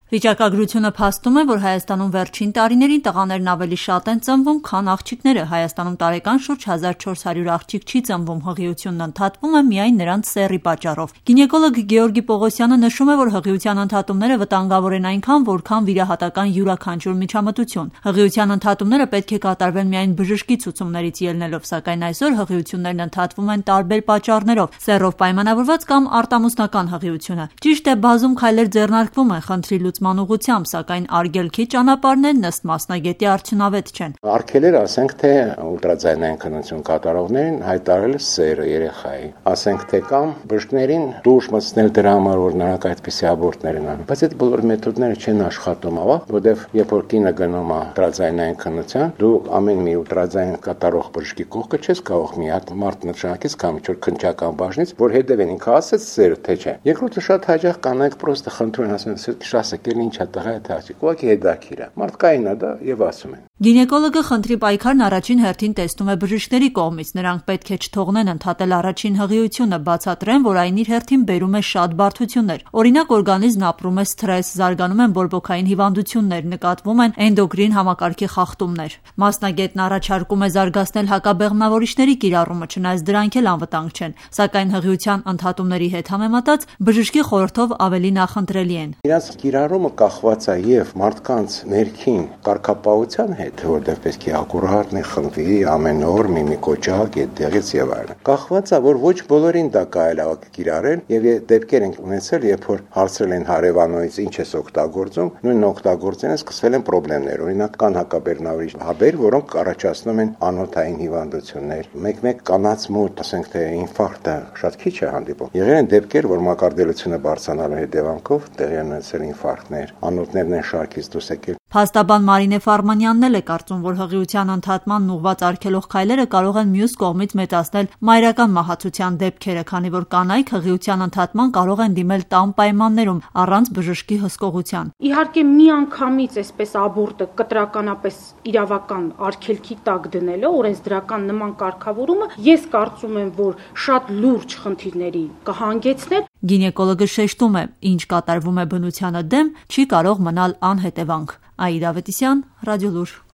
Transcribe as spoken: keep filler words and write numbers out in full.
Վիճակագրությունը փաստում է, որ Հայաստանում վերջին տարիներին տղաներն ավելի շատ են ծնվում, քան աղջիկները։ Հայաստանում տարեկան շուրջ հազար չորս հարյուր աղջիկ չի ծնվում, հղիությունն ընդհատվում է միայն նրանց սեռի պատճառով։ Գինեկոլոգ Գեորգի Պողոսյանը նշում է, որ հղիության ընդհատումները վտանգավոր են այնքան, որքան վիրահատական յուրաքանչյուր միջամտություն։ Հղիության ընդհատումները պետք է կատարվեն միայն բժշկի ցուցումներից ելնելով, սակայն այսօր հղիություններն ընդհատվում են տարբեր պատճառներով՝ սեռով պայմանավորված կամ արտամուսնական հղիությունը։ Ճիշտ է, բազում քայլեր ձեռնարկվում են խնդրի լուծման ուղղությամբ, սակայն արգելքի ճանապարհներն ըստ մասնագետի արդյունավետ չեն։ Արգելեր, ասենք թե ուլտրաձայնային քննություն կատարողներին հայտարարել սերը երեխայի, ասենք թե կամ բժիշկներին դուրս մտցնել դրա համար, որ նրանք այդպիսի աբորտներ են անում։ Բայց այդ բոլոր մեթոդները չեն աշխատում, ավա, որովհետև երբ որ կինը գնում է ուլտրաձայնային քննության, դու ամեն մի ուլտրաձայն կատարող բժշկի կողքը չես կարող մի հատ մարդ նշանակից կամ ինչ որ քննչական բաժնից, որ հետևեն ինքը ասեց սերը թե չէ։ Երկրորդը շատ հաճախ կանայք պրոստը խնդրում են, ասում են, շասակել ինչա տղա է թաճիկ, ուղղակի հետաքրքիր է։ Մարդկային է դա եւ ասում են։ Գինեկոլոգը խնդրի պայքարն առաջին հերթին տեսնում է բժիշկների կողմից։ Նրանք պետք է չթողնեն ընդհատել առաջին հղիությունը, բացատրեն, որ այն իր հերթին բերում է շատ բարդություններ։ Օրինակ, օրգանիզմն ապրում է սթրես, զարգանում են բորբոքային հիվանդություններ, նկատվում են էնդոկրին համակարգի խախտումներ։ Մասնագետն առաջարկում է զարգացնել հակաբեղմնավորիչների կիրառումը, չնայած դրանք էլ անվտանգ չեն, սակայն հղիության ընդհատումների հետ համեմատած բժշկի խորհրդով ավելի նախընտրելի են։ Իրաց կիրառումը կախված է եւ մարդկանց ներքին կարգապահության հետ, որտեղ պետք է ակուրատնի խմբի ամեն օր մի մի կոճակ այդտեղից եւ այլն։ Կախված է, որ ոչ բոլորին դա կարելի է կիրառել եւ դեպքեր են ունեցել, երբ որ հարցրել են հարևանոից ինչ ես օգտագործում, նույն օգտագործեն սկսվել են խնդիրներ։ Օրինակ կան հակաբեղմնավորիչ հաբեր, որոնք առաջացնում են անոթային հիվանդություններ։ Մեկ-մեկ կանանց մոտ, ասենք թե ինֆարկտը շատ քիչ է հանդիպում։ Եղել են դեպքեր, որ մակարդելությունը բարձրանալու հետևանքով տեղի են ունեցել ինֆարկտներ, անոթներն են շարքից դուրս եկել։ Փաստաբան Մարինե Ֆարմանյանն էլ է կարծում, որ հղիության ընդհատմանն ուղղված արգելող քայլերը կարող են մյուս կողմից մեծացնել մայրական մահացության դեպքերը, քանի որ կանայք հղիության ընդհատման կարող են դիմել տան պայմաններում առանց բժշկի հսկողության։ Իհարկե միանգամից այսպես աբորտը կտրականապես իրավական արգելքի տակ դնելով օրենսդրական նման կարգավորումը, ես կարծում եմ, որ շատ լուրջ խնդիրների կհանգեցներ։ Գինեկոլոգը շեշտում է, ինչ կատարվում է բնությանը դեմ, չի կարող մնալ անհետևանք։ Աիդա Ավետիսյան, Ռադիոլուր։